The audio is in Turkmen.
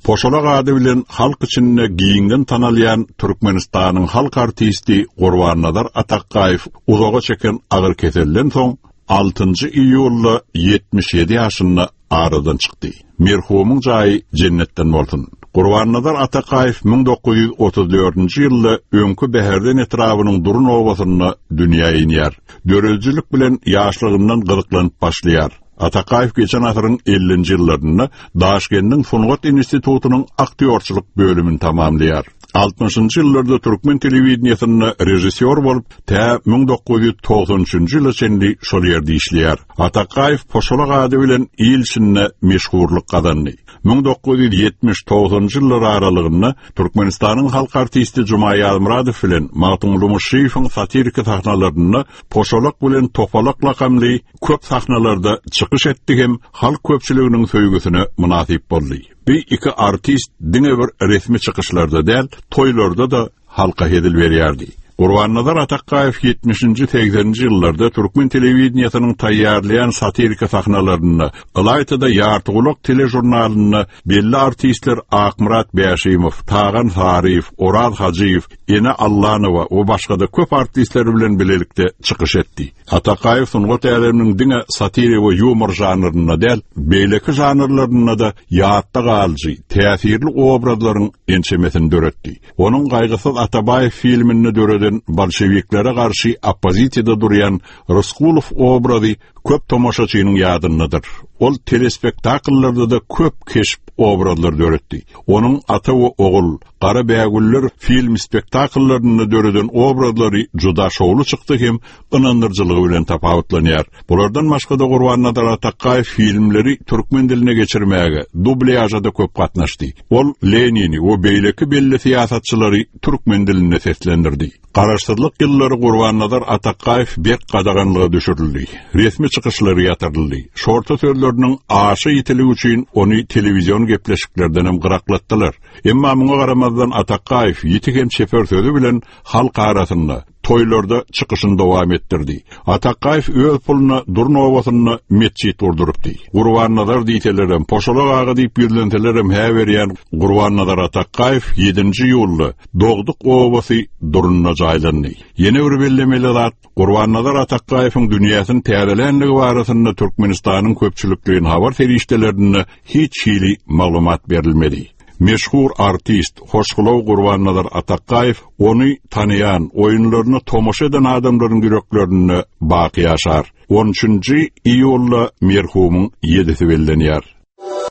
Poşalak ady bilen halk içinde giňden tanalýan Türkmenistanyň halk artisti Gurbannazar Atakgaýew uzaga çeken agyr keselden soň, altynjy iýulda 77 ýaşynda aradan çykdy. Merhumyň jaýy jennetden bolsun! Gurbannazar Atakaýew 1934-nji ýylda öňki Bäherden etrabynyň Durun obasynda dünýä inýär. Döredijilik bilen ýaşlygyndan gyzyklanyp başlaýar. Atakaýew geçen asyryň ellinji ýyllarynda Daşkendiň sungat institutynyň aktýorçylyk bölümini tamamlaýar. Altmyşynjy ýyllarda türkmen telewideniýesinde režissýor bolup, tä 1993-nji ýyla çenli şol ýerde işleýär. Atakaýew Poşalak ady bilen il içinde meşhurlyk gazandy. 1970-90-njy ýyllar aralygynda Türkmenistanyň halk artisti Juma Ýazmyradow bilen Magtymguly Muşşyýewiň satiriki sahnalarynda Poşalak bilen Topalak lakamly köp sahnalarda çykyş etdi hem halk köpçüliginiň söýgüsine mynasyp boldy. Bu iki artist diňe bir resmi çykyşlarda däl, toýlarda-da halka hezil berýärdi. Gurbannazar Atakgaýew ýetmişinji, segseninji ýyllarda türkmen telewideniýesiniň taýýarlaýan satiriki sahnalarynda, ylaýta-da Ýartygulak teležurnalynda belli artistler Akmyrat Bäşimow, Tagan Saryýew, Oraz Hajyýew, Ene Allanowa we başga-da köp artistler bilen bilelikde çykyş etdi. Atakaýew sungat äleminiň diňe satira we ýumor žanrynda däl, beýleki žanrlarynda-da ýatda galyjy, täsirli obrazlaryň ençemesini döretdi. Onuň Gaýgysyz Atabaýew filminde döreden bolşewiklere garşy oppozisiýada durýan Ryskulow obrazy köp tomaşaçynyň ýadyndadyr. Ol telespektakllarda-da köp keşp obrazlar döretdi. Onuň Ata we ogul, Gara bägüller film spektakllarynda döreden obrazlary juda şowly çykdy hem ynandyryjylygy bilen tapawutlanýar. Bulardan başga-da Gurbannazar Atakgaýew filmleri türkmen diline geçirmäge, dublýaža-da köp gatnaşdy. Ol Lenini we beýleki belli syýasatçylary türkmen dilinde seslendirdi. Garaşsyzlyk ýyllary Gurbannazar Atakgaýew berk gadaganlyga düşürildi. Resmi çykyşlary ýatyryldy. Şorta sözleriniň aşa ýitiligi üçin ony telewizion gepleşiklerdenem gyraklatdylar. Emma muňa garamazdan Atakgaýew ýiti hem çeper sözi bilen halk arasynda, toýlarda çykyşyny dowam etdirdi. Atakgaýew öz puluna Durun obasynda metjit gurdurypdy. Gurbannazar diýselerem, Poşalak aga diýip ýüzlenselerem hä berýän Gurbannazar Atakgaýew ýedinji iýulda dogduk obasy Durunda jaýlandy. Ýene bir bellemeli zat, Gurbannazar Atakgaýewiň dünýäsini täzelänligi barasynda Türkmenistanyň köpçülikleýin habar serişdelerinde hiç hili maglumat berilmedi. Meşhur artist, hoşgylaw Gurbannazar Atakgaýew ony tanaýan, oýunlaryna tomaşa eden adamlaryň ýüreklerinde baky ýaşar. On üçünji iýulda merhumyň ýedisi bellenýär.